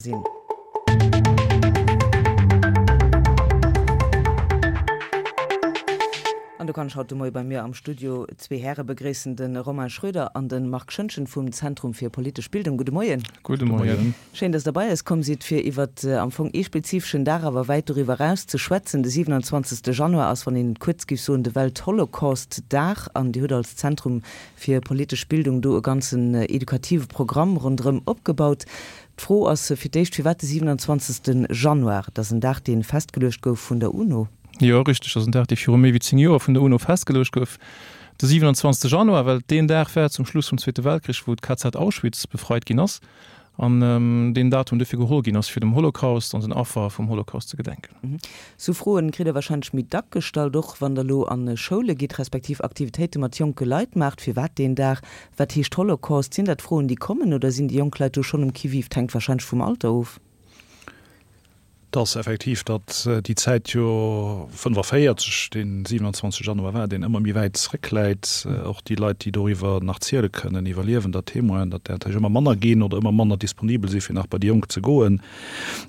Sinn. An do kann ech haut de Moie bei mir am Studio zwee Häre begréissen, de Romain Schroeder an de Marc Schoentgen vum Zentrum fir politesch Bildung. Gudde Moien. Gudde Moien. Schéin, dass Der bei eis komm sidd, fir iwwert am Fong ee spezifeschen Dag, awer wäit doriwwer eraus ze schwätzen. De 27. Januar ass, wann een et kuerz géif soen, de Weltholocaust-Dag. An Dir hutt als Zentrum fir politesch Bildung do e ganzen edukative Programm ronderëm opgebaut. D'Fro ass fir d'éischt, firwat de 27. Januar? Et ass en Dag, dee festgeluecht gouf vun der UNO. Jo, richteg, dat ass en Dag, dee viru méi wéi 10 Joer vun der UNO festgeluecht gouf. De 27. Januar, well et deen Dag war zum Schluss vum Zweete Weltkrich, wou d'KZ Auschwitz befreit ginn ass an deen Datum dofir geholl ginn ass, fir dem Holocaust an den Affer vum Holocaust ze gedenken. Sou Froen kritt der warscheinlech méi dack gestallt, och wann der elo a Schoule gitt, respektiv Aktivitéite mat jonke Leit maacht. Firwat deen Dag? Wat heescht Holocaust? Sinn dat Froen, déi kommen, oder sinn déi jonk Leit do schonn um Qui-vive? 't hänkt warscheinlech vum Alter of. Et ass effektiv, datt déi Zäit jo 45, dee 27 Januar war, deen ëmmer méi wäit zréckläit. Och déi Leit, déi doriwwer nach ziele kënnen, Iwwerliewender, Témoinen, datt där natierlech ëmmer manner ginn oder ëmmer manner disponibel si fir nach bei déi Jonk ze goen.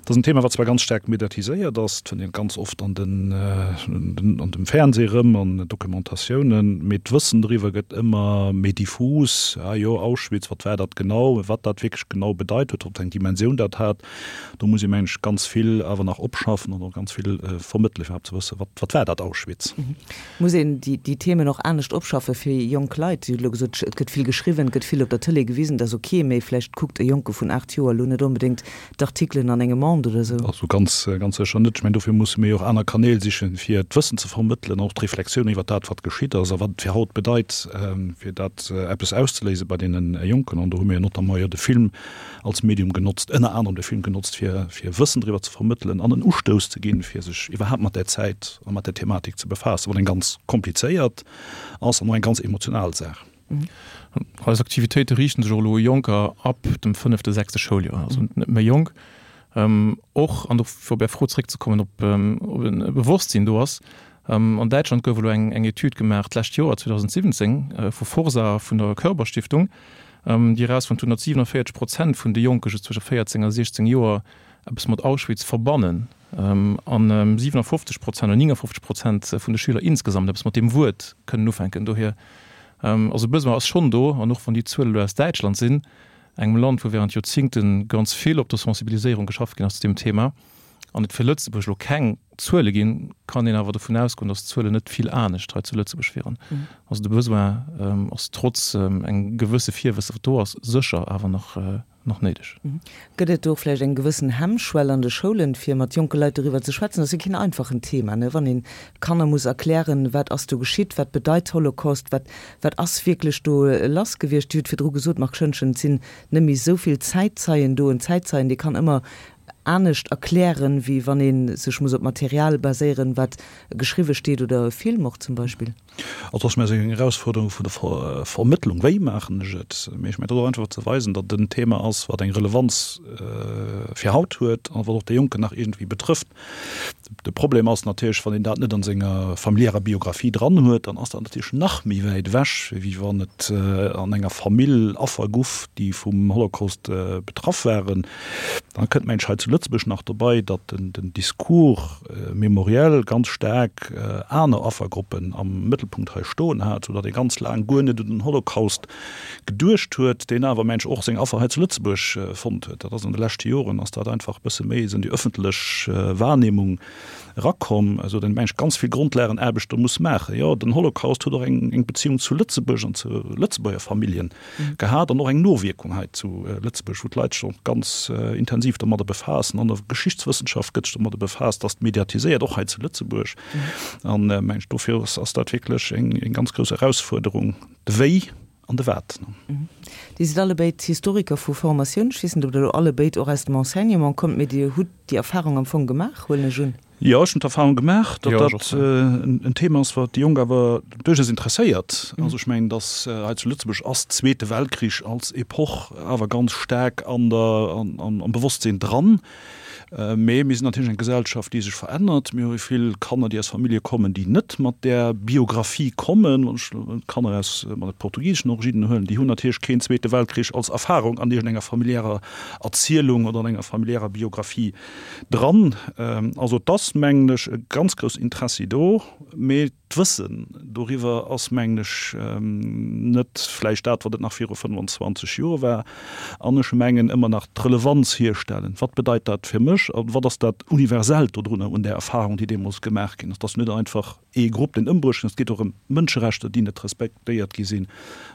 Dat ass en Thema, wat zwar ganz staark mediatiséiert ass, et fënnt een ganz oft an den, an dem Fernseh erëm, an Documentatiounen, mee d'Wëssen doriwwer gëtt ëmmer méi diffus. Ah jo, Auschwitz, wat war dat genau? Wat dat wierklech genau bedeit huet, wat fir eng Dimensioun dat hat, do muss ee mengen ech ganz vill awer nach opschaffen an och ganz vill vermëttelen, fir iwwerhaapt ze wëssen, wat, wat war dat Auschwitz? Muss een déi Themen och anescht opschaffe fir jonk Leit? Dir hutt elo gesot, et gëtt vill geschriwwen, et gëtt vill op der Tëlee gewisen, dat ass ok, mee vläicht kuckt e Jonke vun 8 Joer elo net onbedéngt d'Artikelen an engem Monde oder esou. Also ganz, ganz sécher net. Ech mengen, dofir musse mir jo och aner Kanäl sichen, fir d'Wëssen ze vermëttelen, och d'Reflexioun iwwer dat, wat geschitt ass a wat et fir haut bedeit, fir dat eppes auszeléise bei deene Jonken. An do hu mir jo notamment jo de Film als Medium genotzt, ënner anerem de Film genotzt, fir fir Wëssen driwwer ze vermëttelen an en Ustouss ze ginn, fir sech iwwerhaapt mat där Zäit a mat där Thematik ze befaassen, wat eng ganz komplizéiert ass an och eng ganz emotional Saach. Eis Aktivitéite riichten sech och elo u Jonker ab dem fënnefte, sechste Schouljoer, also net méi jonk. Och, an do fir op Är Fro zréckzekommen, ob e Bewosstsinn do ass, An Däitschland gouf elo eng Etüd gemaach d'lescht Joer, 2017, vu Forsa a vun der Körber-Stiftung, déi erausfonnt hunn, datt 47 Prozent vun de Jonke just zwësche 14 a 16 Joer eppes mat Auschwitz verbannen an 57 Prozent oder 59 Prozent vun de Schüler insgesamt eppes mat deem Wuert kënnen ufänken. Dohier, also e Besoin ass schonn do, an och wann déi Zuele elo aus Däitschland sinn, engem Land, wou während Joerzingte ganz vill op der Sensibiliséierung geschafft ginn ass zu deem Thema, an et fir Lëtzebuerg elo keng Zuele ginn, kann een awer dovun ausgoen, datt d'Zuelen net vill anescht hei zu Lëtzebuerg wieren. Also de Besoin ass trotz engem gewësse Virwësse wat do ass, sécher awer nach nach néideg. Gëtt et do och vläicht eng gewëssen Hemmschwell an de Schoulen, fir mat jonke Leit doriwwer ze schwätzen? Dat ass jo keen einfachen Thema, ne, wann een Kanner muss erklären, wat ass do geschitt, wat bedeit Holocaust, wat wat ass wierklech do lass gewiescht. Dir hutt virdru gesot, Marc Schoentgen, et sinn net méi esou vill Zäitzeien do. En Zäitzeien, dee kann ëmmer anescht erklären, wéi wann ee sech muss op Material baséieren, wat geschriwwe steet oder e Film och zum Beispill. Also ass mir eng Erausfuerderung vun der Vermëttlung, wéi maachen ech et? Mee ech mengen, et ass och einfach ze weisen, datt et en Thema ass, wat eng Relevanz fir haut huet a wat och déi Jonken nach iergendwéi betrëfft. De Problem ass natierlech, wann een dat net an senger familiärer Biographie dran huet, dann ass dat natierlech nach méi wäit ewech, wéi wann et an enger Famill Affer guff, déi vum Holocaust betraff waren. Dann kënnt mengen ech hei zu Lëtzebuerg nach dobei, datt den Discours mémoriel ganz staark aner Affergruppen am Mëttelpunkt hei stoen hat, soudatt ee ganz laang guer net un den Holocaust geduecht huet, deen awer mensch och seng Affer hei zu Lëtzebuerg fonnt huet. Dat ass an de leschte Joren ass dat einfach e bësse méi esou an déi ëffentlech Wahrnehmung erakomm, esou datt een mensch ganz vill Grondlagenaarbecht do muss maachen. Jo, den Holocaust huet och eng eng Beziehung zu Lëtzebuerg an zu Lëtzebuerger Familljen gehat an och eng Nowierkung hei zu Lëtzebuerg, wou d'Leit sech och ganz intensiv domadder befaassen. An der Geschichtswëssenschaft gëtt sech domadder befaasst, ass mediatiséiert, och hei zu Lëtzebuerg. An mensch dofir ass dat wierklech eng ganz grouss Erausfuerderung. De Wéi an de Wat. Dir sidd allebéid Historiker vu Formatioun. Ech weess net, ob Der elo allebéid och aus dem Enseignement kommt, mee Dir hutt déi Erfahrung am Fong gemaach, huelen ech un. Jo, ech hunn d'Erfahrung gemaach, datt dat en Thema ass, wat déi Jonk awer duerchaus interesséiert. Also ech mengen, datt hei zu Lëtzebuerg ass Zweete Weltkrich als Epoch awer ganz staark an der, am Bewosstsinn dran. Mee mir sinn natierlech eng Gesellschaft, déi sech verännert. Mir hu vill Kanner, déi aus Famillje kommen, déi net mat där Biographie kommen. Wann ech Kanner aus mat portugiseschen Originen huelen, déi hunn natierlech keen. deen Zweete Weltkrich als Erfahrung an iergendenger familiärer Erzielung oder an enger familiärer Biographie dran. Also et ass, mengen ech, e ganz groussen Interessi do, mee d'Wëssen doriwwer ass, mengen ech, net vläicht dat, wat et nach viru 25 Joer war. An ech mengen, ëmmer nach d'Relevanz hierstellen, Wat bedeit dat fir mech a wat ass dat Universellt dodrunner un där Erfahrung, déi deemools gemaach ginn ass? Et ass net einfach ee Grupp, deen ëmbruecht ginn ass, et geet och ëm Mënscherechter, déi net respektéiert gi sinn.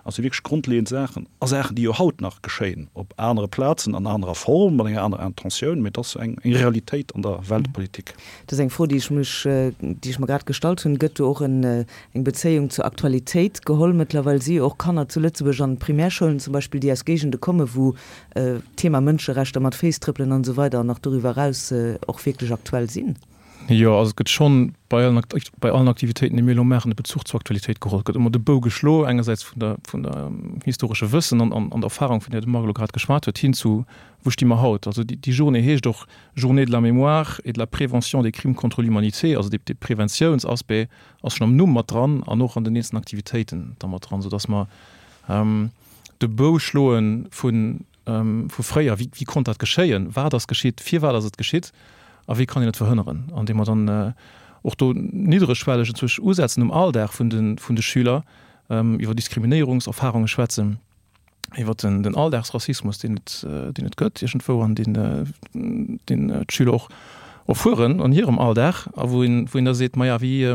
Also wierklech grondleeënd Saachen a Saachen, déi jo haut nach geschéien, op anere Plazen, an anerer Form, mat enger anerer Intentioun, mee et ass eng Realitéit an der Weltpolitik. Dat ass eng Fro, déi ech mech, déi ech mer grad gestallt hunn. Gëtt do och en, eng Bezéiung zur Aktualitéit geholl? Mëttlerweil si jo och Kanner zu Lëtzebuerg an Primärschoulen zum Beispill, déi aus Géigende kommen, wou d'Thema Mënscherechter mat Féiss trëppelen an esou weider an nach doriwwer eraus och wierklech aktuell sinn. Jo, also et gëtt schonn bei allen, bei allen Aktivitéiten, déi mir elo maachen, de Bezuch zur Aktualitéit geholl. Et gëtt ëmmer de Bou geschlo, engersäits vun der, vun der historesche Wëssen an, an der Erfahrung, vun där de Marc elo grad geschwat huet, hin zu Wou sti mer haut? Also déi Journée heescht och Journée de la mémoire et de la prévention des crimes contre l'humanité. Also dee Preventiounsaspect ass schonn am Numm mat dran an och an den eenzelnen Aktivitéiten da mat dran, soudass mer de Bou schloe vu vu fréier. Wéi konnt dat geschéien? Wat ass geschitt? Firwat ass et geschitt? A wéi kann een et verhënneren? Andeem mer dann och do niddregschwelleg enzwousch usetzen um Alldag vun de Schüler, iwwer Diskriminéierungserfarunge schwätzen. iwwer den, den Alldagsrassismus, deen et, deen et gëtt iergendwou an deen, deen d'Schüler och erfueren an hirem Alldag a wou een, wou een da seet, maja, wéi,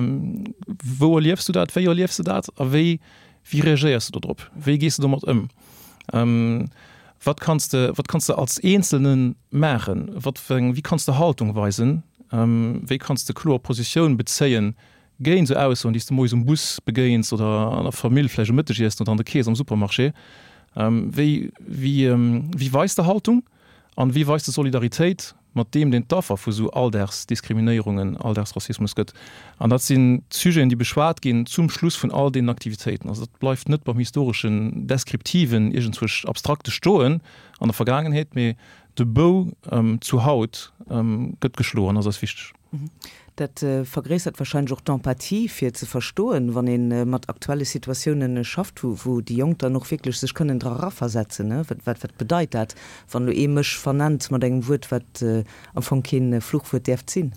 wou erliefs du dat, wéi erliefs du dat a wéi, wéi reagéiers du dodrop, wéi gees du domat ëm? Wat kanns de, wat kanns de als Eenzelne maachen, wat fir eng, wéi kanns de Haltung weisen, wéi kanns de kloer Positioun bezéien Géint esou Aussoen, déi s de moies um Bus begéins oder an der Famill vläicht um Mëttegiessen oder an der Kees am Supermarché, wéi, wéi, wéi weis de Haltung an wéi weis de Solidaritéit mat deem, deen d'Affer vu sou Alldagsdiskriminéierungen, Alldagsrassismus gëtt? An dat sinn d'Sujeten, déi beschwat ginn zum Schluss vun all deenen Aktivitéiten. Also dat bleift net beim historeschen, deskriptiven, iergendzwousch abstrakte stoen an der Vergaangenheet, mee de Bou zu haut gëtt geschloen, ass eis wichteg. Dat vergréissert wahrscheinlech och d'Empathie, fir ze verstoen, wann ee mat aktuelle Situatiounen schafft, wou déi Jonk dann och wierklech sech kënnen dra eraversetzen. Wat wat bedeit dat, wann elo ee mech vernennt mat engem Wuert, wat am Fong kee Fluchwuert däerft sinn?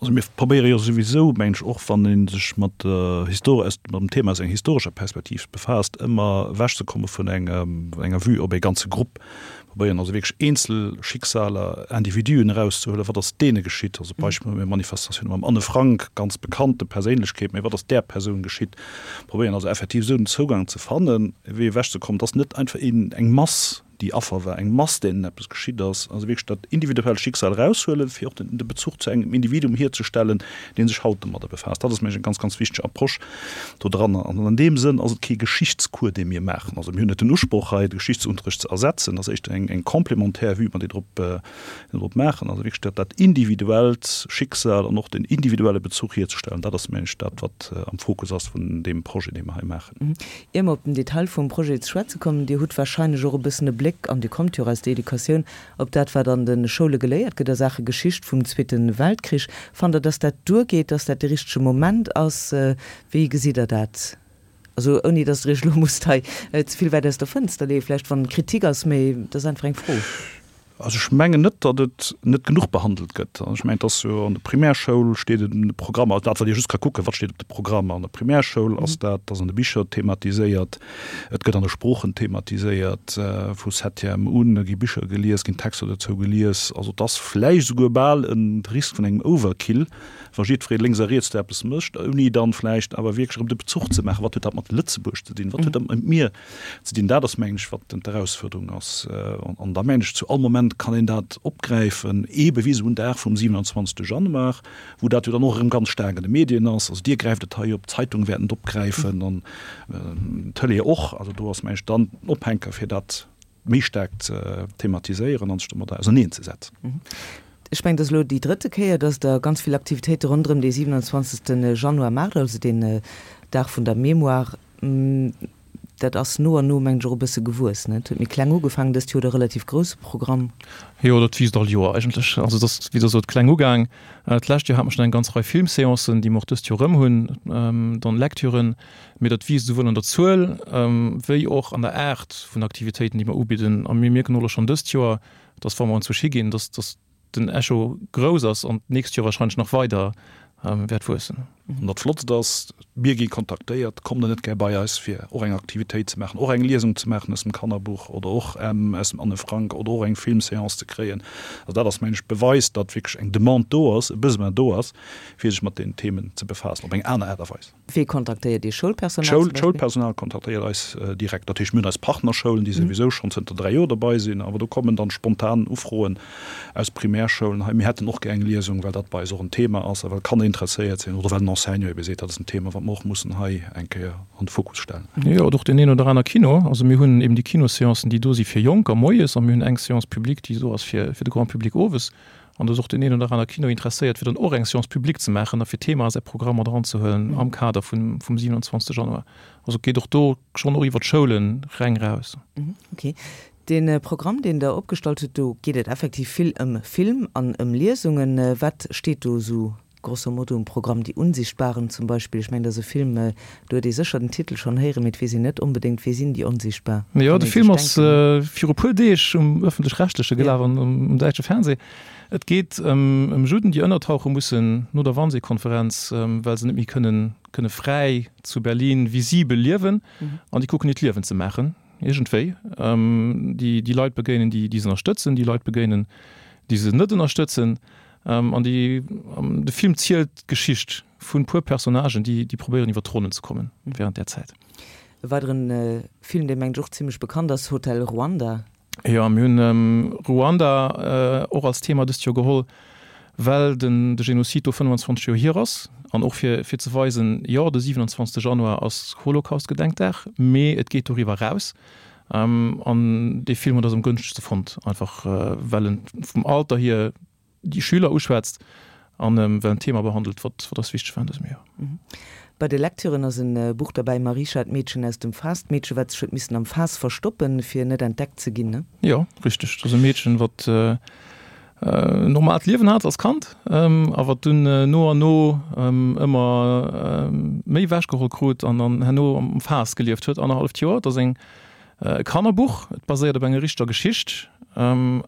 Also mir probéiere jo souwisou, mengen ech, och wann ee sech mat der Histor-, mat dem Thema aus enger historescher Perspektiv befaasst, ëmmer ewechzekomme vun enger Vue op ee ganze Grupp. Probéieren also wierklech eenzel Schicksaler, Individuen erauszehuelen, wat ass deene geschitt? Also Beispill hu mir Manifestatioune mam Anne Frank, ganz bekannte Perséinlechkeet, mee wat ass där Persoun geschitt? Probéieren also effektiv esou den Zougang ze fannen, wéi ewechzekommen, et ass net einfach een, eng Mass, déi Affer war, eng Mass, deenen eppes geschitt ass. Also wierklech dat individuellt Schicksal eraushuelen, fir och den de Bezuch zu engem Individuum hierzestellen, dee sech haut domadder befaasst. Dat ass, mengen ech, eng ganz, ganz wichteg Approche dodranner. An an deem Sënn ass et kee Geschichtscours, dee mir maachen. Also mir hunn net den Usproch hei, de Geschichtsunterricht ze ersetzen. Dat ass éischter eng, eng complémentaire Vue, mat déi drop, drop maachen. Also wierklech dat, dat individuellt Schicksal an och den individuelle Bezuch hierzestellen, dat ass, mengen ech, dat, wat am Fokus ass vun deem Projet, dee mer hei maachen. Ier mer op den Detail vum Projet ze schwätze kommen, Dir hutt wahrscheinlech och e bëssen e Bléck, an Dir kommt jo och aus der Educatioun, op dat, wat an de Schoule geléiert gëtt a Saache Geschicht vum Zweete Weltkrich. Fannt Der, dass dat duergeet, dass dat de richtege Moment ass? Wéi gesitt Der dat? Also ouni dass Der Iech elo musst hei ze vill wäit aus der Fënster leeën, vläicht wann Kritik ass, mee et ass einfach eng Fro. Also ech mengen net, datt et net genuch behandelt gëtt. Ech mengen, et ass jo an der Primärschoul steet et an de Programmer, also dat wat ee just ka kucken, wat steet op de Programmer an der Primärschoul ass dat, et ass an de Bicher thematiséiert, et gëtt an de Sproochen thematiséiert, vu Septième un gi Bicher gelies, ginn Texter dozou gelies. Also et ass vläicht esouguer bal e Risk vun engem Overkill, wa jiddweree lénks a riets do eppes mécht, ouni dann vläicht awer wierklech erëm de Bezuch ze maachen, wat huet dat mat Lëtzebuerg ze dinn, wat huet dat mat mir ze dinn. Dat ass, mengen ech, wat d'Erausfuerderung ass. An da mengen ech, zu all Moment kann een dat opgräifen, eebe wéi esou en Dag vum 27. Januar, wou dat jo dann och erëm ganz staark an de Medien ass. Also Dir gräift et hei op, d'Zeitunge wäerten et opgräifen an d'Tëlee och. Also do ass, mengen ech, dann den Ophänker, fir dat méi staark ze thematiséieren an sech domadder auserneenzesetzen. Ech mengen, et ass elo déi drëtte Kéier, dass Der ganz vill Aktivitéite ronderëm dee 27. Januar maacht, also deen Dag vun der Mémoire. Dat ass no an no, mengen ech, och e bësse gewuess, ne? Et huet méi kleng ugefaangen, dëst Joer e relativ grousse Programm. Jo, dat wiisst all Joer eigentlech. Also et ass, wéi Der sot, kleng ugaang. D'lescht Joer hate mer schonn eng ganz Rei Filmséancen, déi mer och dëst Joer erëm hunn, dann Lecturen. Mee dat wiisst esouwuel an der Zuel wéi och an der Aart vun Aktivitéiten, déi mer ubidden. A mir mierken och elo schonn dëst Joer, dass, wa mer anzwousch higinn, dass, dass den Echo grouss ass an d'nächst Joer wahrscheinlech nach weider wäert wuessen. An dat Flottst ass, mir gi kontaktéiert, kommt der net gär bei eis fir och eng Aktivitéit ze maachen, och eng Liesung ze maachen aus dem Kannerbuch oder och aus dem Anne Frank oder och eng Filmséance ze kréien. Also dat ass, mengen ech, beweist, datt wierklech eng Demande do ass, e Besoin do ass, fir sech mat deenen Themen ze befaassen op eng aner Aart a Weis. Wee kontaktéiert Dir? Schoulpersonal zum Beispill? D'Schoulpersonal kontaktéiert eis direkt. Dat heescht, mir hunn eis Partnerschoulen, déi souwisou schonn zënter 3 Joer dobei sinn, awer do kommen dann spontan Ufroen aus Primärschoulen, hei mir hätten och gär eng Liesung, well dat bei eis och en Thema ass a well Kanner interesséiert sinn oder well den Enseignant ebe seet, dat ass en Thema, wat mer och mussen hei eng Kéier an de Fokus stellen. Jo, oder och deen een oder aner Kino. Also mir hunn eben déi Kinosseancen, déi do si fir Jonker moies a mir hunn eng Séance publique, déi do ass fir de Grand public owes. An do ass och deen een oder aner Kino interesséiert, fir dann och eng Séance publique ze maachen a fir d'Thema a säi Programm mat eranzehuelen am Kader vum 27. Januar. Also et geet och do schonn och iwwer d'Schoulen reng raus. Ok. Dee Programm, deen Der opgestallt hutt, do geet et effektiv vill ëm Film an ëm Liesungen. Wat steet do esou grosso modo um Programm? Die Unsichtbaren zum Beispill, ech mengen, dat ass e Film, do huet ee sécher den Titel schonn héieren, mee et weess een net onbedéngt, Wie sinn déi Onsichtbar? Jo, de Film ass viru puer Deeg um Ëffentlech-Rechtleche gelaf an um däitsche Fernseh. Et geet ëm Judden, déi ënnertauche mussen no der Wannsee-Konferenz, well se net méi kënnen kënne fräi zu Berlin visibel liewen an déi kucken hiert Liewen ze maachen iergendwéi. Déi déi Leit begéinen, déi déi se ënnerstëtzen, déi Leit begéinen, déi se net ënnerstëtzen. An déi de Film zielt d'Geschicht vun puer Personnagen, déi déi probéieren iwwer d'Ronnen ze kommen während där Zäit. E weideren Film, dee mengt ech och zimlech bekannt ass, Hotel Rwanda. Jo, mir hunn Ruanda och als Thema dëst Joer geholl, well den de Genozid do 25 Joer hier ass an och fir fir ze weisen, jo, de 27 Januar ass Holocaust-Gedenkdag, mee et geet doriwwer eraus. An dee Film huet eis am gënschtegste fonnt, einfach well en vum Alter hier déi Schüler uschwätzt an well en Thema behandelt, wat wat eis wichteg war an dësem Joer. Bei de Lecturen ass e Buch derbäi, Marisha, d'Meedchen aus dem Faass, d'Meedche wat sech huet missen am Faass verstoppen, fir net entdeckt ze ginn, ne? Jo, richteg. Dat ass e Meedchen, wat en normaalt Liewen hat als Kand a wat dunn no an no ëmmer méi ewechgeholl krut an dann herno am Faass gelieft huet, annerhalleft Joer. Dat ass eng E Kannerbuch, et baséiert op enger richteger Geschicht an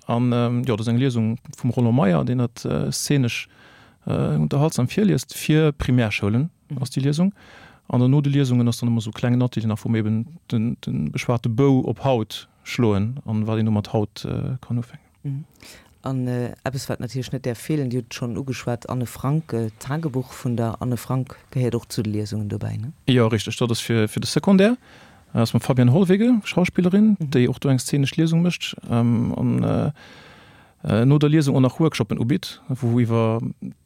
jo, dat ass eng Liesung vum Roland Meyer, deen dat szenesch unterhaltsam virliest. Fir Primärschoulen ass déi Liesung. An dann no de Liesungen ass dann ëmmer esou e klengen Atelier nach, wou mir eben de beschwate Bou op Haut schloen an wat een domat haut kann ufänken. An eppes, wat natierlech net däerf feelen, Dir hutt et schonn ugeschwat, Anne Frank, d'Tagebuch vun der Anne Frank gehéiert och zu de Liesungen dobäi, ne? Jo, richteg. Dat ass fir de Secondaire. Dat ass mam Fabienne Hollwege, Schauspillerin, déi och do eng szenesch Liesung mécht an no der Liesung och nach Workshoppen ubitt, wou iwwer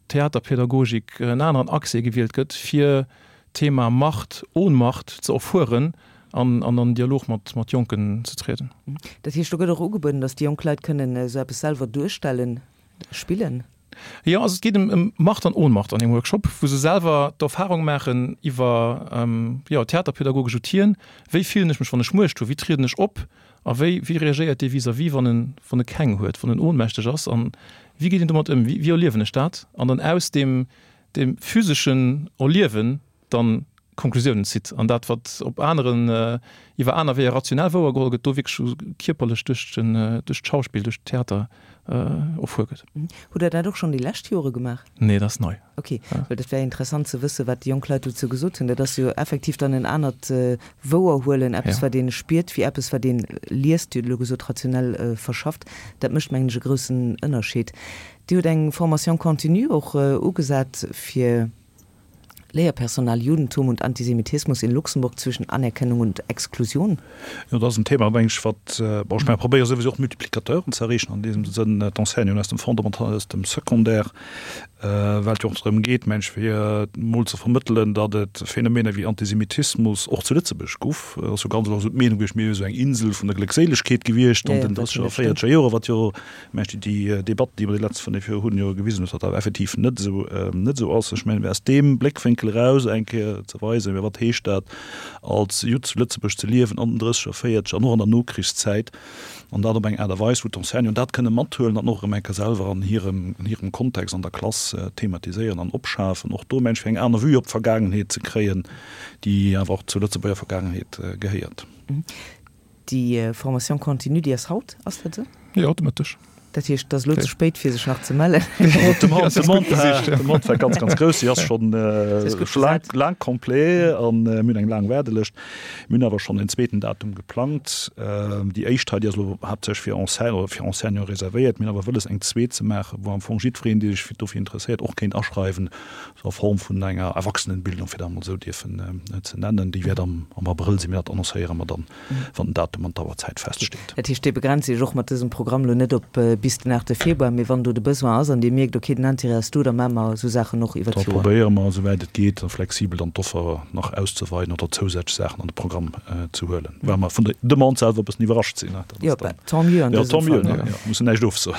Theaterpädagogik en aneren Accès gewielt gëtt, fir d'Thema Macht, Ohnmacht ze erfueren an an an Dialog mat mat Jonken ze trieden. Dat heescht, do gëtt och ugebueden, datt déi jonk Leit kënnen esou eppes selwer duerstellen, spillen? Jo, also et geet ëm ëm Macht an Ohnmacht an deem Workshop, wou se selwer d'Erfahrung maachen iwwer, jo, theaterpädagogesch Outien, Wéi fillen ech mech, wann ech Muecht hu? Wéi trieden ech op? A wéi, wéi reagéiert dee vis-à-vis, wann en, wann e keng huet, wann en ohnmächteg ass? An wéi geet een domat ëm? Wéi, wéi erliewen ech dat? An dann aus deem, deem physeschen Erliewen dann Konklusiounen zitt an dat, wat op aneren, iwwer aner Weeër rationell wouergeholl gëtt, do wierklech kierperlech duerch den, duerch d'Schauspill, duerch d'Theater erfuer gëtt. Hutt Der dat och schonn déi lescht Jore gemaach? Nee, dat ass nei. Ok, well dat wär interessant ze wëssen, wat déi jonk Leit dozou gesot hunn. Dat ass jo effektiv dann en anert Wouerhuelen, eppes wat ee spiert, wéi eppes wat ee liest, Dir hutt elo gesot rationell verschafft. Dat mécht mengen ech e groussen Ënnerscheed. Dir hutt eng Formation continue och ugesat fir Léierpersonal, Judentum und Antisemitismus in Luxemburg zwischen Anerkennung und Exklusion. Jo, dat ass en Thema, meng ech, wat, bon, ech mengen, probéiere souwisou och Multiplicateuren ze erreechen, an deem Sënn d'Enseignanten aus dem Fondamental, aus dem Secondaire, well et jo och drëm geet, meng ech, fir emol ze vermëttelen, datt et Phänomener wéi Antisemitismus och zu Lëtzebuerg guff. Et ass jo ganz oft esou d'Meenung gewiescht, mir wier esou eng Insel vun der Gléckséilegkeet gewiescht an den drësseger a véierzeger Joren, wat jo, meng ech, déi Debatt, déi mer déi letzt 5 Joer hunn, jo gewisen huet, datt dat effektiv net esou, net esou ass. Ech mengen, aus deem Bléckwénkel. Bléckwénkel eraus eng Kéier ze weisen, mä wat heescht dat als Judd zu Lëtzebuerg ze liewen an den Drësseger, Véierzeger an och an der Nokrichszäit, an dat op eng Aart a Weis, wou d'Enseignanten dat kënne mathuelen an och erëm eng Kéier selwer an hirem, an hirem Kontext an der Klass thematiséieren an opschafen, och do mensch fir eng aner Vue op d'Vergaangenheet ze kréien, déi awer och zur Lëtzebuerger Vergaangenheet gehéiert. Déi Formation continue, déi ass haut, ass dat esou? Jo, haut de Mëtteg. Dat heescht, et ass elo ze spéit, fir sech nach ze mellen. D'Demande war ganz, ganz grouss. Si ass schonn laang complet a mir hunn eng laang Waardelëscht. Mir hunn awer schonn en zweeten Datum geplangt. Déi éischt hei, déi ass elo haaptsächlech fir Enseignant oder fir Enseignante reservéiert. Mir hunn awer wëlles, eng zweet ze maachen, wou am Fong jiddwereen, dee sech dofir interesséiert, och kéint aschreiwen, sou a Form vun enger Erwachsenenbildung, fir dat emol esou dierfen ze nennen. Déi wäert am Abrëll sinn, mee dat annoncéiere mer dann. wann den Datum an d'Auerzäit feststeet. Dat heescht, Dir begrenzt Iech och mat dësem Programm elo net op bis den 8 Februar, mee wann do de Besoin ass an Dir mierkt, okay, den Intérêt ass do, da maache mer esou Saachen och iwwer Da d'Joer. probéiere mer, esouwäit et geet, flexibel dann d'Offer nach auszeweiden oder zousätzlech Saachen an de Programm ze huelen, well mer vun der Demande selwer e bëssen iwwerrascht sinn. Dat ass Jo, dann, tant mieux an jo, dësem tant mieux, Fall, ne? ne? Jo, mussen näischt ofsoen.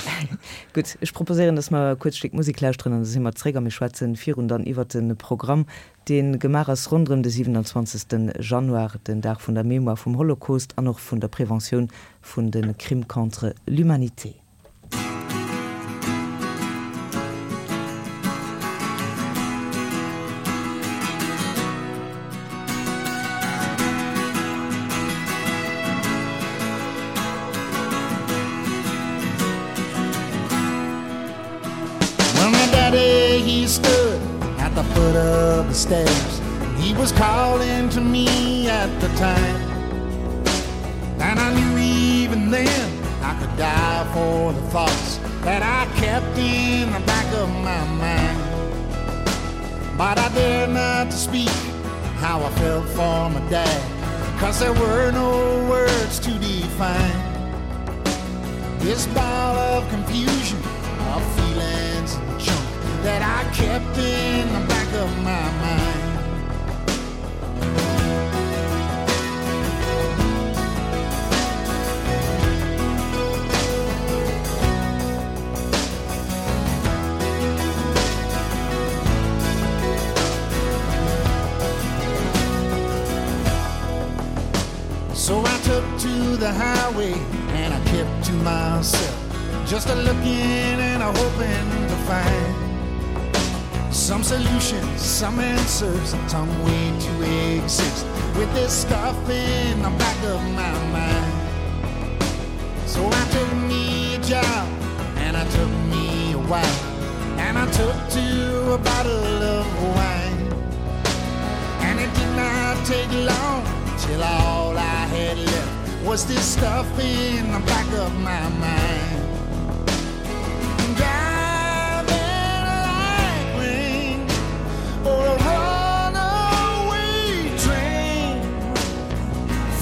Gutt, ech proposéieren, dass mer e kuerzt Stéck Musek lauschteren an da si mer zréck a mir schwätzen virun dann iwwert de Programm, dee gemaach ass ronderëm de 27. Januar, den Dag vun der Mémoire vum Holocaust an och vun der Preventioun vun de Crimes contre l'humanité. Well, my daddy, he stood at the foot of the stairs. And he was calling to me at the time. And I knew even then I could die for the thoughts that I kept in the back of my mind. But I dared not to speak how I felt for my dad, cause there were no words to define. This ball of confusion, of feelings and junk that I kept in the back of my mind. So I took to the highway and I kept to myself Just a looking and a hoping to find Some solutions, some answers, some way to exist With this stuff in the back of my mind So I took me a job and I took me a while And I took to a bottle of wine And it did not take long till all I had left Was this stuff in the back of my mind Driving like rain or a runaway train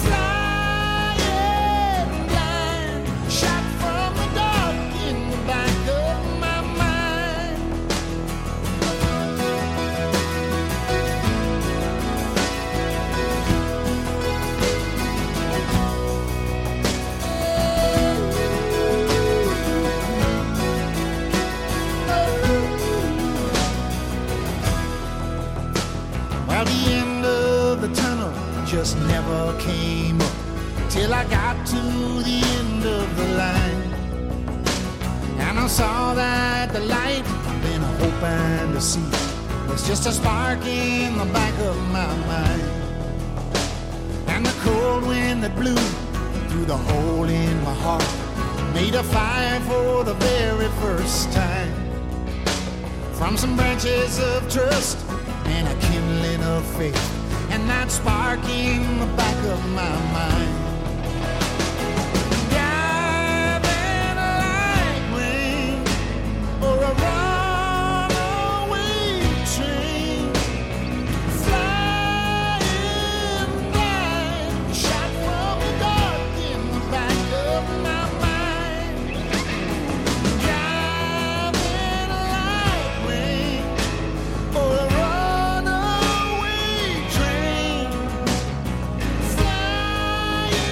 Flying blind, shot from the dark in the back of my mind Well, the end of the tunnel just never came up till I got to the end of the line. And I saw that the light I've been hoping to see was just a spark in the back of my mind. And the cold wind that blew through the hole in my heart made a fire for the very first time. From some branches of trust and a kindling of faith and that spark in the back of my mind. Driving like rain or a runaway train, flying blind, shot from the dark in the back of my mind. Driving like rain or a runaway train, flying.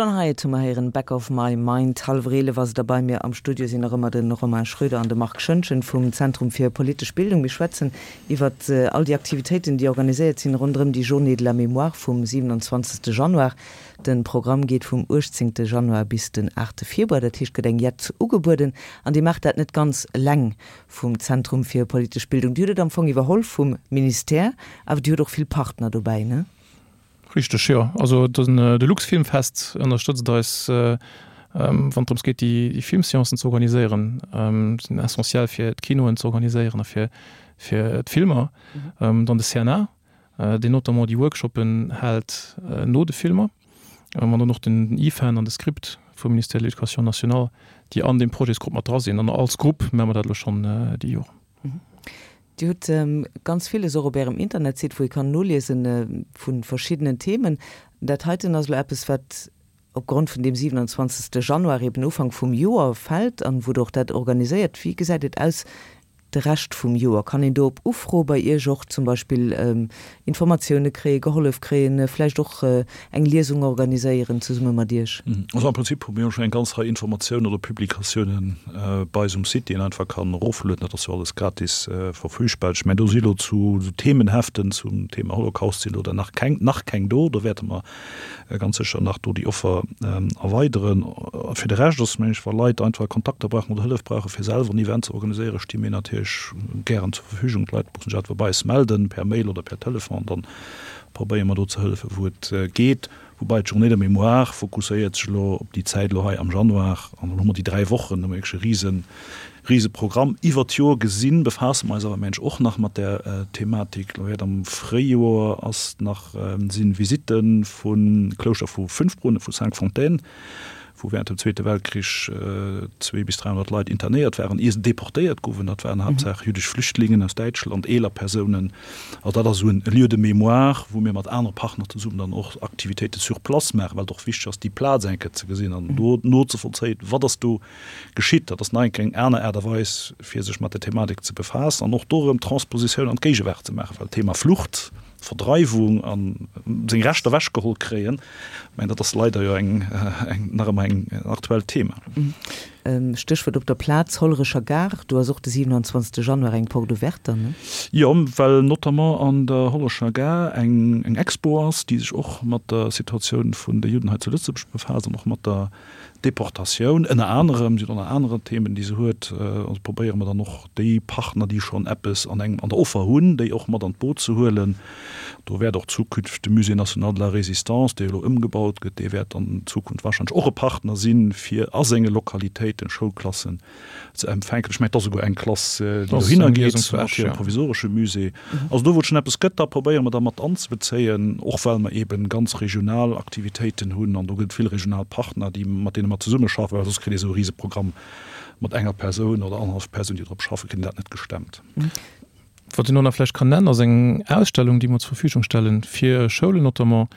John Hiatt hu mer héieren, Back of my mind. Hallwer 11 ass et a bei mir am Studio sinn nach ëmmer de Romain Schroeder an de Marc Schoentgen vum Zentrum fir politesch Bildung. Mir schwätzen iwwer all déi Aktivitéiten, déi organiséiert sinn ronderëm déi Journée de la Mémoire vum 27. Januar. De Programm geet vum 18. Januar bis den 8. Februar, dat heescht, gëtt eng Jett ugebueden. An Dir maacht dat net ganz eleng vum Zentrum fir politesch Bildung. Dir hutt et am Fong iwwerholl vum Ministère, awer Dir hutt och vill Partner dobäi, ne? Richteg, jo. Also de Luxfilmfest ënnerstëtzt eis, wann et drëms geet, déi Filmseancen ze organiséieren. Sinn essentiell fir d'Kinoen ze organiséieren a fir d'Filmer. Dann de CNA, deen notamment déi Workshoppen hält no de Filmer. An dann och den IFAN an de Script vum Ministère de l'Éducation nationale, déi an deem Projetsgrupp mat dra sinn. An als Grupp maache mer dat elo schonn déi Joren. Dir hutt ganz villes och op Ärem Internetsite, wou ee kann noliesen vu verschiddenen Themen. Dat heiten ass elo eppes, wat opgrond vun deem 27. Januar, eben Ufank vum Joer, fält an wou Der och dat organiséiert. Wéi gesäit et aus de Rescht vum Joer? Kann een do op Ufro bei Iech och zum Beispill Informatioune kréien, gehollef kréien, vläicht och eng Liesung organiséieren zesumme mat Iech? Also am Prinzip hu mir jo schonn eng ganz Rei Informatiounen oder Publikatiounen bei eis um Site, déi een einfach kann eroflueden. Dat ass jo alles gratis verfügbar. Ech mengen, do si elo zu Themenheften zum Thema Holocaust sinn elo der nach keng, nach keng do. Do wäerte mer ganz sécher nach do déi Offer erweideren. Fir de Rescht ass, mengen ech, wa Leit einfach Kontakter brauchen oder Hëllef brauchen, fir selwer en Event ze organiséieren, sti mir natierlech gären zur Verfügung. D'Leit mussen sech einfach bei eis melden, per Mail oder per Telefon, an dann probéiere mer do ze hëllefen, wou et geet. Woubai d'Journée de mémoire fokusséiert sech elo op déi Zäit elo hei am Januar, an dann hu mer déi 3 Wochen, hu mer wierklech e risen, rise Programm. Iwwert d'Joer gesinn befaasse mer eis awer mensch och nach mat där Thematik. Elo wäert am Fréijoer ass nach, sinn Visitte vum Klouschter vu Fünfbrunnen, vu Cinq-Fontaines, wou während dem Zweete Weltkrich 2 bis 300 Leit internéiert waren, ier se deportéiert goufen. Dat waren haaptsächlech jüddesch Flüchtlingen aus Däitschland, eeler Persounen. Also dat ass esou en Lieu de mémoire, wou mir mat anere Partner zesummen dann och Aktivitéite sur place maachen, well et och wichteg ass, déi Plaz eng Kéier ze gesinn an do nozevollzéien, wat ass do geschitt. Dat ass nach eng Kéier eng aner Aart a Weis, fir sech mat der Thematik ze befaassen an och do erëm Transpositioun an d'Géigewaart ze maachen, well d'Thema Flucht, Verdreiwung a seng Rechter ewechgeholl kréien, ech mengen, dat ass leider jo eng, nach ëmmer eng aktuellt Thema. Stéchwuert op der Plaz, Hollerecher Gare, do ass och de 27 Januar eng Porte ouverte dann, ne? Jo, well notamment an der Hollerecher Gare eng Expo ass, déi sech och mat der Situatioun vun de Judden hei zu Lëtzebuerg befaasst an och mat der Deportatioun ënner anerem. Si huet och nach aner Themen, déi se huet. Also probéiere mer dann och déi Partner, déi schonn eppes an engem, an der Offer hunn, déi och mat an d'Boot ze huelen. Do wäert och zukünfteg de Musée national de la Résistance, dee elo ëmgebaut gëtt, dee wäert an Zukunft wahrscheinlech och e Partner sinn, fir a senge Lokalitéiten Schoulklassen ze empfänken. Ech mengen, et ass esouguer eng Klass, déi dohinner geet, mat hirem provisoresche Musée. Also do, wou et schonn eppes gëtt, da probéiere mer da mat anzebezéien, och well mer eeben ganz regional Aktivitéiten hunn an do gëtt et vill regional Partner, déi, mat deene mer zesummeschaffen, well soss kritt ee sou e Riseprogramm mat enger Persoun oder annerhallef Persoun, déi drop schaffen, kritt een dat net gestemmt. Wat een och nach vläicht kann nennen, ass eng Ausstellung, déi mer zur Verfügung stellen, fir Schoulen notamment,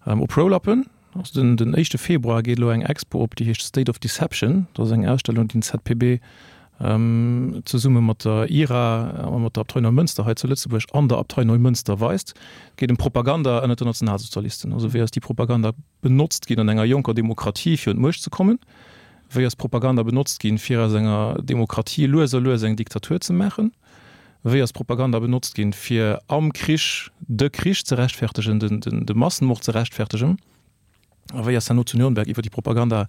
op Roll-Uppen. Also den, den éischte Februar geet elo eng Expo op, déi heescht State of Deception. Dat ass eng Ausstellung, déi den ZPB zesumme mat der IRA a mat der Abtei Neumënster hei zu Lëtzebuerg an der Abtei Neumënster weist. Et geet ëm Propaganda ënnert den Nationalsozialisten. Also wéi ass déi Propaganda benotzt ginn an enger jonker Demokratie, fir un d'Muecht ze kommen? Wéi ass Propaganda benotzt ginn, fir aus enger Demokratie lues a lues eng Diktatur ze maachen? Wéi ass Propaganda benotzt ginn, fir am Krich de Krich ze rechtfertegen, de Massenmord ze rechtfertegen? A wéi ass herno zu Nürnberg iwwer déi Propaganda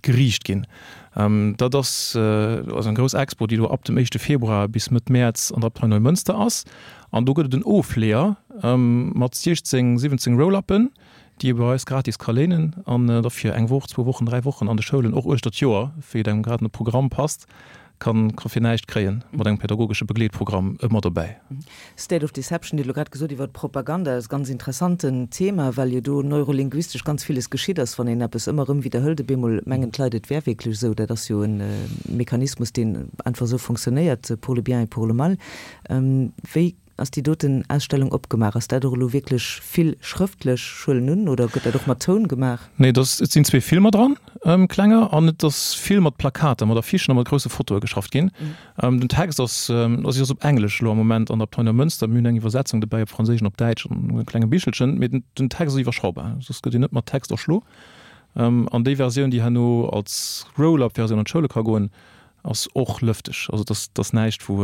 geriicht ginn? Dat ass also eng grouss Expo, déi do ab dem éischte Februar bis Mëtt Mäerz an der Abtei Neumënster ass. An do gëtt et en Ofleeër mat 16, 17 Roll-Uppen, déi ee bei eis gratis ka léinen an da fir eng Woch, zwou Wochen, dräi Wochen an de Schoulen, och uechter d'Joer, wéi et engem grad no Programm passt, kann ka fir näischt kréien, mat engem pädagogesche Begleetprogramm ëmmer dobäi. State of Deception, Dir hutt elo grad gesot iwwer d'Propaganda, dat ass e ganz interessanten Thema, well jo do neurolinguistesch ganz villes geschitt ass, wann een eppes ëmmer erëm widderhëlt, op eemol mengen d'Leit, et wär wierklech esou. Dat ass jo e Mechanismus, deen einfach esou fonctionnéiert, pour le bien et pour le mal. Wéi Ass déi doten Ausstellung opgemaach? Ass dat och elo wierklech vill schrëftlech, ech huelen un, oder gëtt dat och mat Toun gemaach? Nee, et ass, et sinn zwee Filmer dran, klenger, an et ass vill mat Plakater, mat Affichen a mat grousse Fotoe geschafft ginn. Den Text ass, also si ass op Englesch elo am Moment an der Abtei Neumënster, mir hunn eng Iwwersetzung dobäi op Franséisch an op Däitsch an e klenge Bichelchen, mee den Text ass iwwerschaubar, soss gëtt een net mat Text erschlo. An déi Versioun, déi herno als Roll-up-Versioun an d'Schoule ka goen, ass och lëfteg. Also dat ass näischt, wou,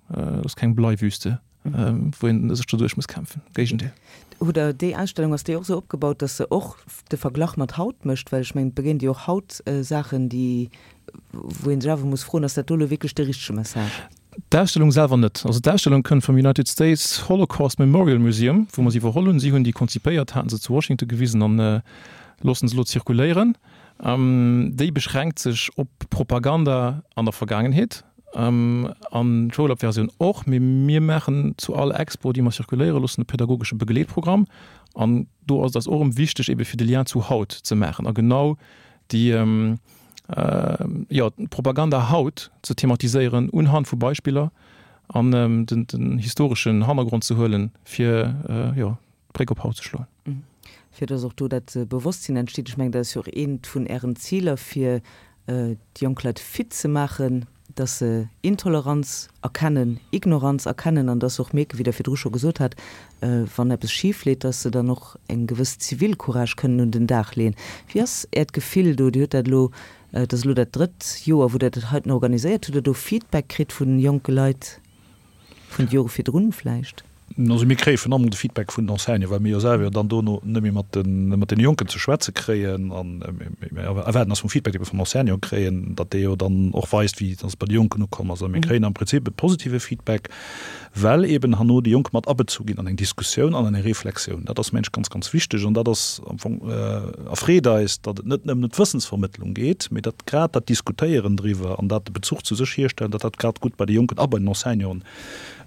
dat ass keng Bleiwüste, wou een sech doduerch muss kämpfen. Géigendeel. Hutt Der déi Ausstellung, ass déi och esou opgebaut, datt se och de Verglach mat haut mécht? Well ech mengen, et begéint jo och haut Saachen, déi, wou ee sech awer muss froen, ass dat do elo wierklech de richtege Message? D'Ausstellung selwer net. Also d'Ausstellung kënnt vum United States Holocaust Memorial Museum, wou mer se iwwerholl hunn. Si hunn déi konzipéiert, haten se zu Washington gewisen an loossen se elo zirkuléieren. Déi beschränkt sech op Propaganda an der Vergaangenheet an d'Roll-up-Versioun och. Mee mir maachen zu all Expo, déi mer zirkuléiere loossen, e pädagogesche Begleetprogramm. An do ass et eis och erëm wichteg, ebe fir de Lien zu haut ze maachen a genau déi, jo, d'Propaganda haut ze thematiséieren unhand vu Beispiller an den historeschen Hannergrond ze huelen, fir, jo, d'Bréck op haut ze schloen. Fir dass och do dat Bewosstsinn entsteet. Ech mengen, dat ass jo och eent vun Ären Ziler, fir déi jonk Leit fit ze maachen, dass se Intoleranz erkennen, Ignoranz erkennen an dass se och mierken, wéi Der virdru scho gesot hat, wann eppes schif leet, dass se dann och eng gewëss Zivilcourage kënnen un den Dag leeën. Wéi ass Äert Gefill do? Dir hutt dat elo, et ass elo dat drëtt Joer, wou Der dat heiten organiséiert. Hutt Der do Feedback kritt vu jonke Leit? Vun de Jore virdrun vläicht? Also mir kréie vun allem de Feedback vun den Enseignanten, well mir jo selwer jo dann dono net méi mat de mat deene Jonken ze schwätze kréien. An mir erwaarden eis vum Feedback, dee mir vum Enseignant kréien, datt dee jo dann och weist, wéi datt et bei de Jonken ukomm ass. A mir kréien am Prinzip e positive Feedback, well eeben herno déi Jonk mat abezu ginn an eng Diskussioun an an eng Reflexioun. Dat ass mengen ech ganz, ganz wichteg an dat ass am Fong, erfreet eis, datt et net nëmmen ëm d'Wëssensvermëttlung geet, mee datt grad dat Diskutéieren driwwer an dat de Bezuch zu sech hierstellen, datt dat grad gutt bei de Jonken a bei den Enseignanten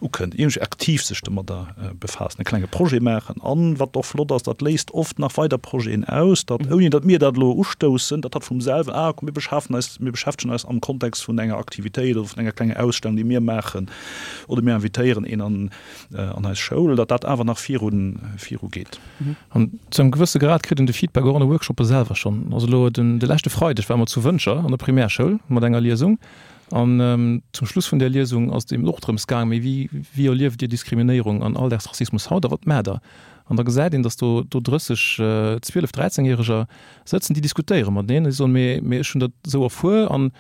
ukënnt, iergendwéi aktiv sech domadder befaassen, e klenge Projet maachen. An wat och flott ass, dat léist oft nach weider Projeten aus, datt, ouni datt mir dat elo ustoussen, datt dat vum selwen, ah komm mir beschafen eis, mir beschäftegen eis am Kontext vun enger Aktivitéit oder vun enger klenger Ausstellung, déi mir maachen, oder mir invitéieren een an an eis Schoul, datt dat awer nach virun virugeet. An zu engem gewësse Grad kritt een de Feedback och an de Workshoppe selwer schonn. Also elo den de leschte Freideg ware mer zu Wëntger an der Primärschoul mat enger Liesung an zum Schluss vun där Liesung ass et eben och drëms gaang, mee wéi wéi erlieft Dir Diskriminéierung an Alldagsrassismus haut a wat maacht Der? An da gesäit een, datt do do 30 12 13 Järeger sëtzen, déi diskutéiere mateneen an déi soen, mee mee ech hunn dat esou erfuer an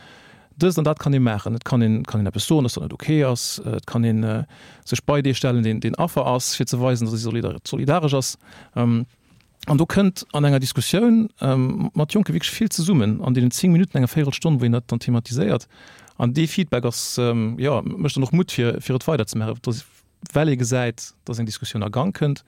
Dëst an dat kann ee maachen. Et kann een, kann een eppes soen, dass dat net ok ass. Et kann ee sech bei dee stellen, deen, deen Affer ass, fir ze weisen, dass ee solidaresch ass. An do kënnt an enger Diskussioun mat Jonke wierklech vill zesummen an deenen 10 Minutten, enger Véierelstonn, wou een dat dann thematiséiert. An dee Feedback ass, jo, mécht dann och Mutt, fir, fir et weiderzemaachen, well ee gesäit, dass eng Diskussioun a Gang kënnt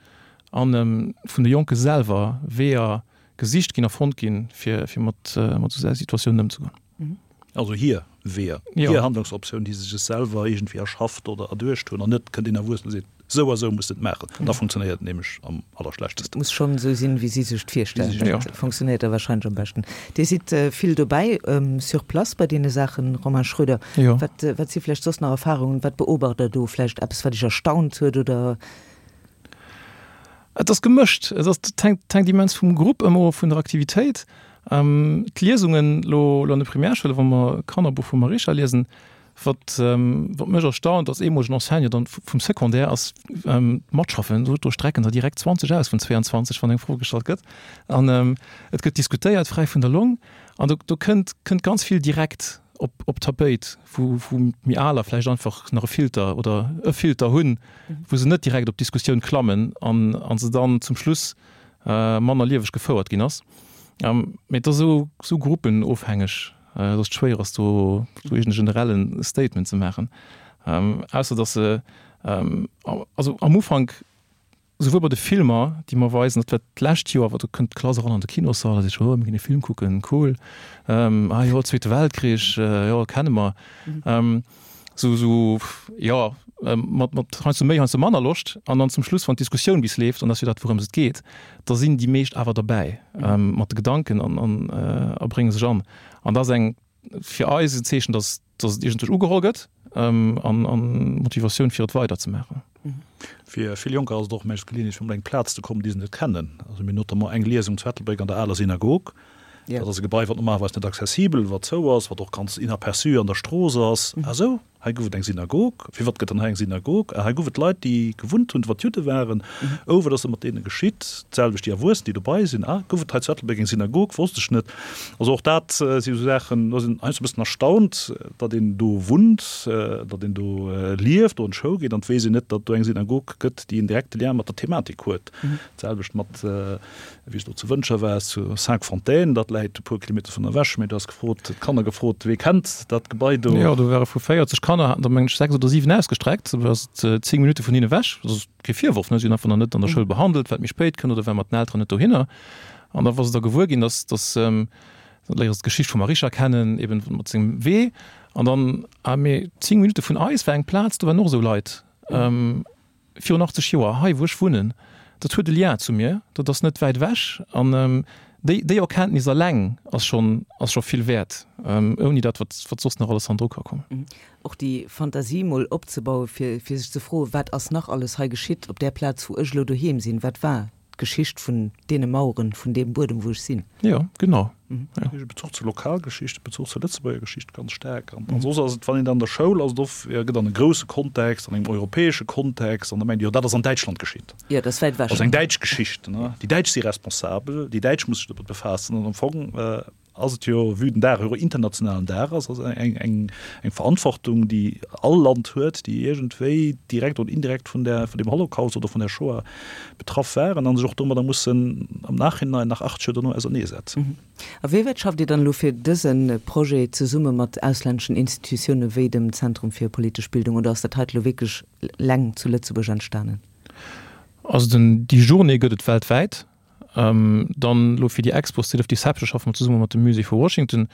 a vun de Jonke selwer Weeër gesicht ginn a fonnt ginn, fir, fir mat, mat esou Situatiounen ëmzegoen. Also hir Weeër, hir Handlungsoptioun, déi se sech selwer iergendwéi erschafft oder erduecht hunn, an net kënnt een Erwuessene a seet, esou a esou muss de et maachen. Da funktionéiert et nämlech am allerschlechtesten. Et muss schonn esou sinn, wéi si sech et virstellen. Dat funktionéiert da warscheinlech am beschten. Dir sidd vill dobäi, sur place bei deene Saachen, Romain Schroeder. Wat, wat si vläicht soss nach Erfarungen? Wat beobacht Der do? Vläicht eppes, wat Iech erstaunt huet oder? Et ass gemëscht. Et ass, et hänkt, hänkt immens vum Grupp ëmmer of, vun der Aktivitéit. D'Liesungen elo elo an de Primärschoule, wa mer Kannerbuch vum Marisha liesen, wat wat mech erstaunt als eemolegen Enseignant dann vum Secondaire ass d'Matschaffen. Do do strecken der direkt 20 aus vun 22, wann eng Fro gestallt gëtt. An et gëtt diskutéiert, fräi vun der Long. An do do kënnt kënnt ganz vill direkt op op d'Tapéit, wou wou méi Aler vläicht einfach nach e Filter oder e Filter hunn, wou se net direkt op d'Diskussioun klammen an a se dann zum Schluss manner lieweg gefouert ginn ass. Mee et ass esou esou gruppenofhängeg, datt et schwéier ass do do iergend e generelle Statement ze maachen. Ausser datt se also am Ufank Souwuel bei de Filmer, déi mer weisen, dat war d'lescht Joer, do kënnt d'Klass eran an de Kinossall a seet, oh, mir ginn e Film kucken, cool, ah jo, Zweete Weltkrich, jo, kenne mer. Sou, sou, jo, mat, mat heiansdo méi, heiansdo manner Loscht. An dann zum Schluss, wann d'Diskussioun bis leeft, an dat ass jo dat, wourëms et geet, da sinn déi meescht awer derbäi mat de Gedanken an, an a brénge sech an. An dat ass eng, fir eis en Zeechen, dass, dass et iergendwéi ugeholl gëtt an, an Motivatioun fir et weiderzemaachen. Fir vill Jonker ass et och meeschtens d'Geleeënheet fir op eng Plaz ze kommen, déi se net kennen. Also mir hunn notamment eng Liesung zu Ettelbréck an der aler Synagog. Dat ass e Gebai, wat normalerweis net accessibel, wat zou ass, wat och ganz inaperçu an der Strooss ass. Ah sou? Hei gouf et eng Synagog. Firwat gëtt dann hei eng Synagog? Ah, hei gouf et Leit, déi gewunnt hunn, wat Judde waren. Oh, wat ass da mat deene geschitt? D'selwecht déi Erwuessen, déi dobei sinn. Ah, gouf et hei zu Ettelbréck eng Synagog? Wosst ech net. Also och dat si sou Saachen, do ass een heiansdo e bëssen erstaunt, datt een do wunnt, datt een do lieft, do an d'Schoul geet an et weess een net, datt do eng Synagog gëtt, déi en direkte Lien mat der Thematik huet. D'selwecht mat Wéi s do zu Wëntger waars, zu Cinqfontaines, dat läit e puer Kilometer vun ewech, mee du has gefrot, d'Kanner gefrot, wee kennt dat Gebai do? Jo, do ware vu 40 Kanner, haten der mengen ech 6 oder 7 ausgestreckt, do ass et 10 Minutte vun hinne ewech. Dat ass kee Virworf, ne, si hunn einfach nach net an der Schoul behandelt, wat méi spéit kënnt oder war mat den Elteren net dohinner. An da wa se da gewuer ginn, dass, dass, da léiere se d'Geschicht vum Arisha kennen, eben mat sengem Wee. An dann, ah mee 10 Minutte vun eis war eng Plaz, do waren och esou Leit. Virun 80 Joer, hei wou ech wunnen, dat huet e Lien zu mir, dat ass net wäit ewech. An déi, déi Erkenntnis eleng ass schonn, ass scho vill wäert, ouni dat, wat, wat soss nach alles hannendru ka kommen. Och déi Fantasie mol opzebauen, fir, fir sech ze froen, wat ass nach alles hei geschitt op där Plaz, wou ech elo doheem sinn, wat war d'Geschicht vun deene Maueren, vun deem Buedem, wou ech sinn. Jo, genau. Jo. Bezuch zur Lokalgeschicht, Bezuch zur Lëtzebuerger Geschicht ganz staark. An soss ass et, wann een dann an der Schoul ass, et oft, jo, gëtt an e grousse Kontext, an engem europäesche Kontext, an da mengt ee, jo, dat ass an Däitschland geschitt. Jo, dat ass wäit ewech. Ass eng däitsch Geschicht, ne? Déi Däitsch si responsabel, déi Däitsch musse sech domat befaassen. An am Fong ass et jo, vue den Dag jo e internationalen Dag ass, ass eng, eng, eng Verantwortung, déi all Land huet, déi iergendwéi direkt oder indirekt vun där, vun deem Holocaust oder vun der Shoah betraff waren a sech och domadder mussen am Nachhinein nach 80 Joer dono auserneesetzen. A wéi wäit schafft Dir dann elo fir dëse Projet zesumme mat auslänneschen Institutioune wéi dem Zentrum fir politesch Bildung oder ass dat heite elo wierklech leng zu Lëtzebuerg entstanen? Also den, déi Journée gëtt et weltwäit. Dann elo fir déi Expo State of Deception schaffe mer zesumme mat dem Musée vu Washington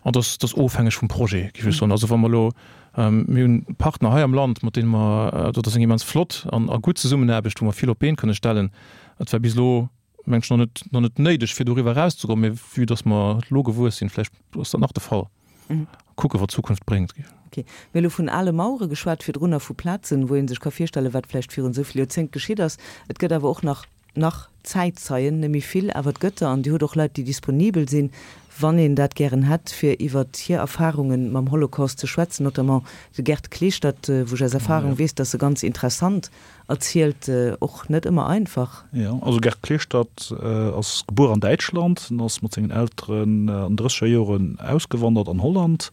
an dat ass ofhängeg vum Projet, géif ech soen. Also wa mer elo, mir hunn Partner hei am Land, mat deene mer, dat ass eng immens flott an a gutt Zesummenaarbecht, wou mer vill op d'Been kënne stellen. Et war bis elo, meng ech, nach net, nach net néideg, fir doriwwer erauszegoen, mee vue dass mer elo gewuess sinn, vläicht ass dat nach de Fall. Kucke wat d'Zukunft bréngt. Ok. Mir hu elo vun ale Mauere geschwat virdrun a vu Plazen, wou ee sech ka virstellen, wat vläicht virun esou vill Joerzéngt geschitt ass. Et gëtt awer och nach Nach Zäitzeien, net méi vill, awer et gëtt der an Dir hutt och Leit, déi disponibel sinn, wann een dat gären hätt, fir iwwert hir Erfarunge mam Holocaust ze schwätzen, notamment de Gerd Kleeschtert, wou ech aus Erfahrung weess, dass e ganz interessant erzielt, och net ëmmer einfach. Jo, also Gerd Kleeschtert ass gebuer an Däitschland, en ass mat sengen Elteren an den drësseger Joren ausgewandert an Holland.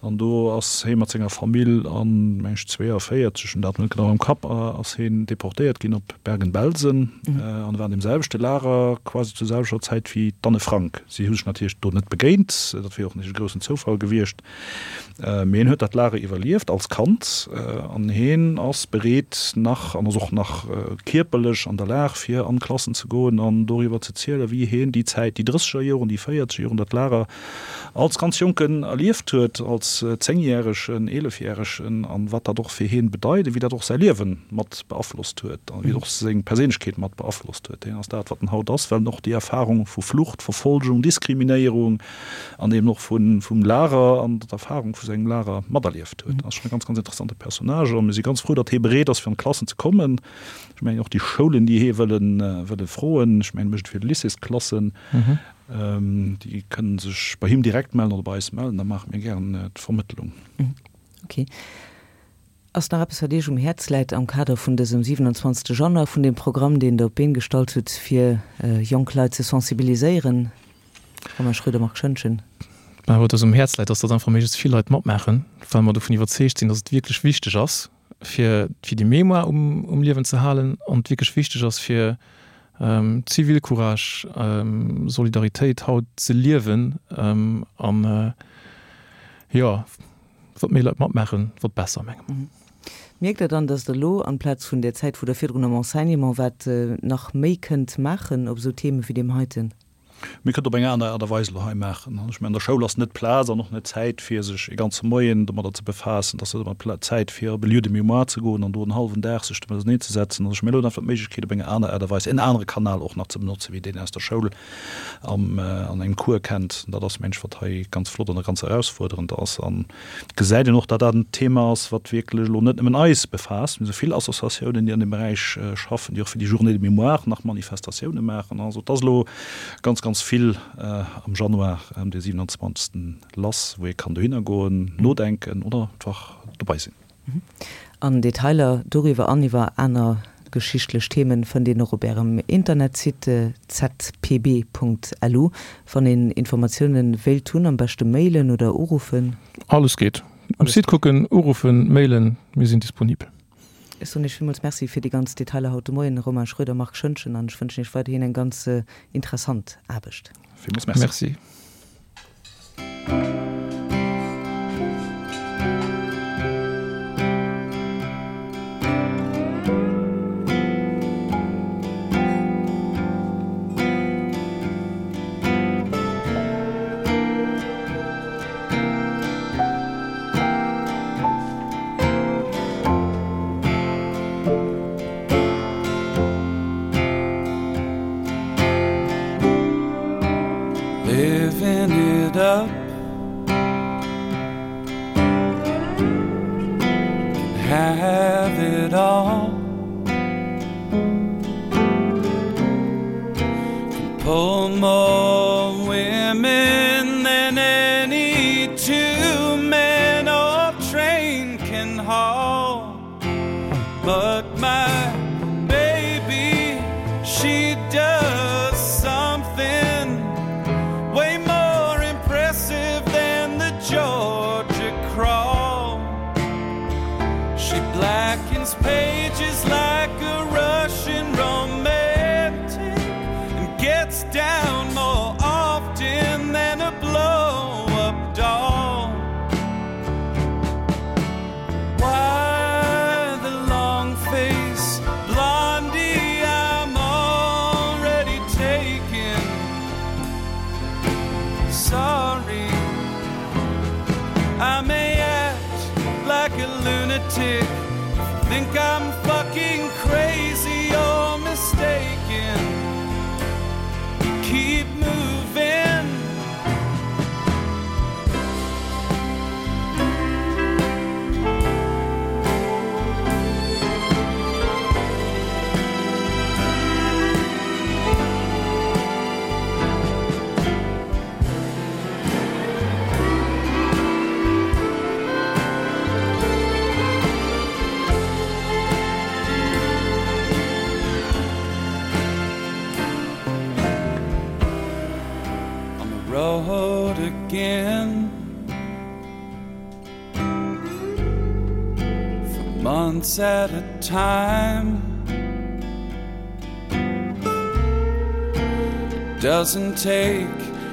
An do ass hee mat senger Famill an, meng ech, 42, ech hunn dat net genau am Kapp, ass heen deportéiert ginn op Bergen-Belsen an war an deem selwechte Lager quasi zur selwechter Zäit wéi d'Anne Frank. Si hu sech natierlech do net begéint, dat wier och net e groussen Zoufall gewiescht, mee hien huet dat Lager iwwerlieft als Kand an heen ass bereet nach an ass och nach kierperlech an der Lag fir an d'Klassen ze goen an doriwwer ze zielen, wéi heen déi Zäit, déi drësseger Joren, déi véierzeger Joren, dat Lager als ganz Jonken erlieft huet, als Zéngjäregen, Eelefjäregen, an wat dat och fir hien bedeit, a wéi dat och säi Liewen mat beaflosst huet, a wéi et och seng Perséinlechkeet mat beaflosst huet. Hien ass dat, wat en haut ass, well en och déi Erfahrung vu Flucht, Verfolgung, Diskriminéierung an eben och vum Lager an d'Erfahrung vu sengem Lager materlieft huet. Ass schonn e ganz, ganz interessante Personnage a mir si ganz frou, datt hie bereet ass, fir an d'Klassen ze kommen. Ech mengen och déi Schoulen, déi hie wëlle froen, ech mengen, e mécht et fir d'Lycéesklassen, Déi kënnen sech bei him direkt mellen oder bei eis mellen, da maache mir gären d'Vermëttlung. Ok. Ass nach eppes, wat Iech um Häerz läit am Kader vun dësem 27. Januar, vun deem Programm, deen Der op d'Been gestallt hutt, fir jonk Leit ze sensibiliséieren? Romain Schroeder, Marc Schoentgen. Mä wat eis um Häerz läit, ass, datt einfach méiglechst vill Leit matmaachen, well mer dovun iwwerzeegt sinn, datt et wierklech wichteg ass, fir fir déi Mémoire um um Liewen ze halen an et wierklech wichteg ass fir Zivilcourage, Solidaritéit haut ze liewen an jo, wat méi Leit matmaachen, wat besser menge mer. Mierkt Der dann, datt Der elo amplaz vun där Zäit wou Der virdrun am Enseignement waart, nach méi kënnt maachen op esou Theme wéi deem heiten? Mir kënnen op eng aner Aart a Weis elo hei maachen. Ech mengen, an der Schoul ass net d'Plaz an och net d'Zäit, fir sech e ganze Moien domadder ze befaassen. Et ass net ëmmer d'Zäit, fir op e Lieu de mémoire ze goen an do en hallwen Dag sech domat auserneezesetzen. Also ech mengen, elo huet einfach d'Méiglechkeet, op eng aner Aart a Weis en anere Kanal och nach ze benotzen, wéi deen aus der Schoul am an engem Cours kennt. Dat ass, mengen ech, wat hei ganz flott an ganz erausfuerderend ass. An et gesäit een och, datt dat en Thema ass, wat wierklech elo net nëmmen eis befaasst. Mir hu vill Associatiounen, déi an deem Beräich schaffen, déi och fir déi Journée de mémoire nach Manifestatioune maachen. Also et ass elo ganz, ganz. ganz vill am Januar, ëm de 27. lass, wou ee kann dohinner goen, nodenken oder einfach dobei sinn. An Detailer doriwwer an iwwer aner geschichtlech Themen fënnt een och op Ärem Internetsite zpb.lu. Wann een Informatiounen wéilt hunn, am beschte mailen oder uruffen. Alles geet. Um Site kucken, uruffen, mailen, mir sinn disponibel. Ech soen Iech villmools Merci fir déi ganz Detailer haut de Moien, Romain Schroeder, Marc Schoentgen, an ech wënschen Iech weiderhin eng ganz interessant Aarbecht. Villmools Merci. Merci. Living it up Can have it all Can pull more women than any two men or train can haul But my baby she does something way more impressive than the Georgia crawl She blackens pages like a Russian romantic and gets down more often than a blow-up doll Why the long face blondie I'm already taken Sorry I may act like a lunatic Think I'm fucking crazy or mistaken Keep moving On the road again For months at a time It doesn't take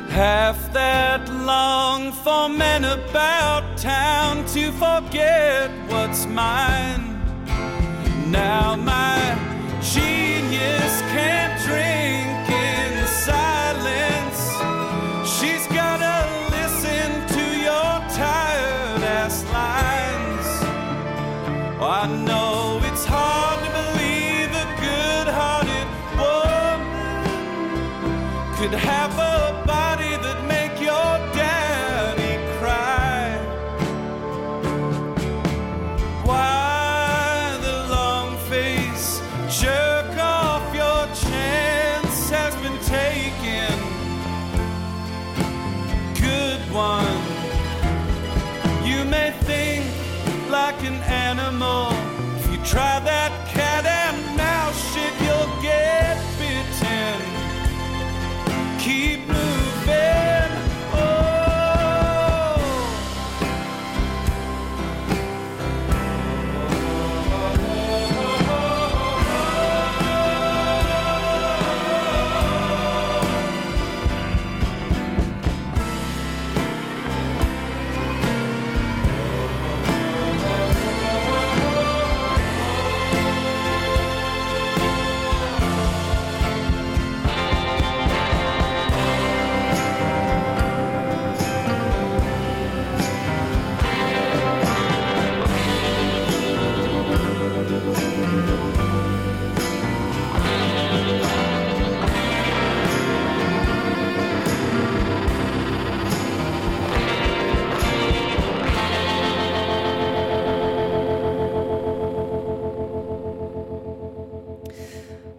half that long for men about town to forget what's mine Now my genius can't drink in silence She's gotta listen to your tired ass lines I know it's hard to believe a good-hearted woman could have a body that make your daddy cry Why the long face jerk off your chance has been taken Good one You may think like an animal If you try that cat and mouse shit you'll get bitten Keep moving oh.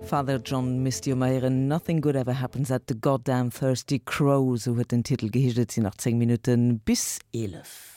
Father John Misty um héieren Nothing Good Ever Happens at the Goddamn Thirsty Crow, sou huet den Titel geheescht. Et sinn nach 10 Minutte bis 11.